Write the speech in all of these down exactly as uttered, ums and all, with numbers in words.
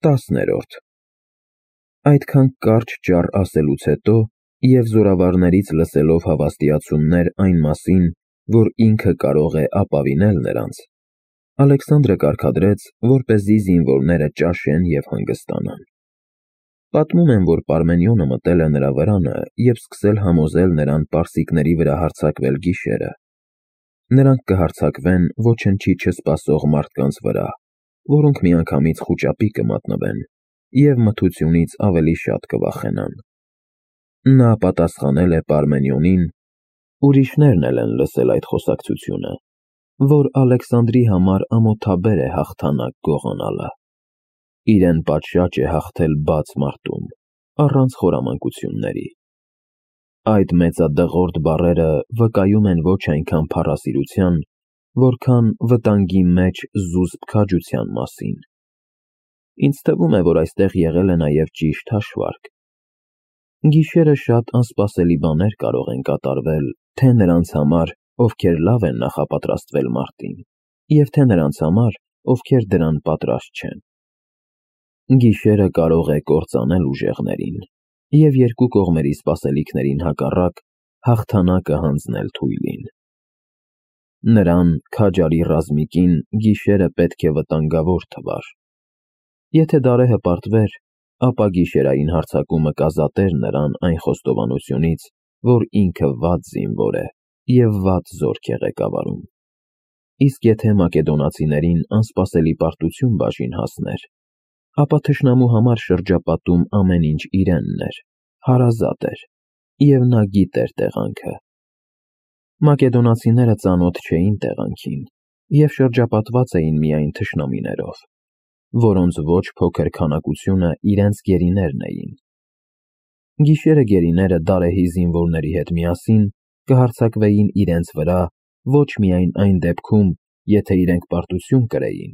Տասներորդ Այդքան կարճ ճառ ասելուց հետո և զորավարներից լսելով հավաստիացումներ այն մասին, որ ինքը կարող է ապավինել նրանց, Ալեքսանդրը կարգադրեց, որպեսզի զինվորները ճաշեն և հանգստանան։ Պատմում են, որ Պարմենիոնը մտել է նրա վրանը և սկսել համոզել նրան պարսիկների վրա հարձակվել գիշերը։ Նրանք կհարձակվեն ոչնչի չսպասող մարդկանց վրա, որոնք միանգամից խուճապի կմատնվեն և մթությունից ավելի շատ կվախենան։ Նա պատասխանել է Պարմենիոնին, ուրիշներն էլ են լսել այդ խոսակցությունը, որ Ալեքսանդրի համար ամոթաբեր է հաղթանակ գողանալը։ Իրեն պատշաճ է հաղթել բաց մարտում, առանց խորամանկությունների։ Այդ մեծադղրդ բառերը վկայում են ոչ այնքան փառասիրության, որքան վտանգի մեջ զուսպ քաջության մասին։ Ինձ թվում է, որ այստեղ եղել է նաև ճիշտ հաշվարկ։ Գիշերը շատ անսպասելի բաներ կարող են կատարվել թե նրանց համար, ովքեր լավ են նախապատրաստվել մարտին, և թե նրանց համար, ովքեր դրան պատրաստ չեն։ Գիշերը կարող է կործանել ուժեղներին և երկու կողմերի սպասելիքներին հակառակ հաղթանակը հանձնել թույլին։ Նրան, քաջարի ռազմիկին, գիշերը պետք է վտանգավոր թվար։ Եթե դարեհը պարտվեր, ապա գիշերային հարձակումը կազատեր նրան այն խոստովանությունից, որ ինքը վատ զինվոր է և վատ զորք է ղեկավարում։ Իսկ եթե մակեդոնացիներին անսպասելի պարտություն բաժին հասներ, ապա թշնամու համար շրջապատում ամեն ինչ իրենն էր, հարազատ էր, և նա գիտեր տեղանքը։ Մակեդոնացիները ծանոթ չէին տեղանքին և շրջապատված էին միայն թշնամիներով, որոնց ոչ փոքր քանակությունը իրենց գերիներն էին։ Գիշերը գերիները դարեհի զինվորների հետ միասին կհարձակվեին իրենց վրա ոչ միայն այն դեպքում, եթե իրենք պարտություն կրեին,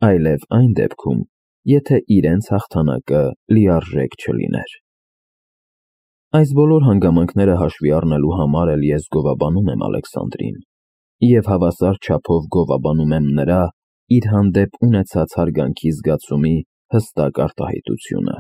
այլև այն դեպքում, եթե իրենց հաղթանակը լիարժեք չլիներ։ Այս բոլոր հանգամանքները հաշվի առնելու համար էլ ես գովաբանում եմ Ալեքսանդրին և հավասար չափով գովաբանում եմ նրա իր հանդեպ ունեցած հարգանքի զգացումի հստակ արտահայտությունը։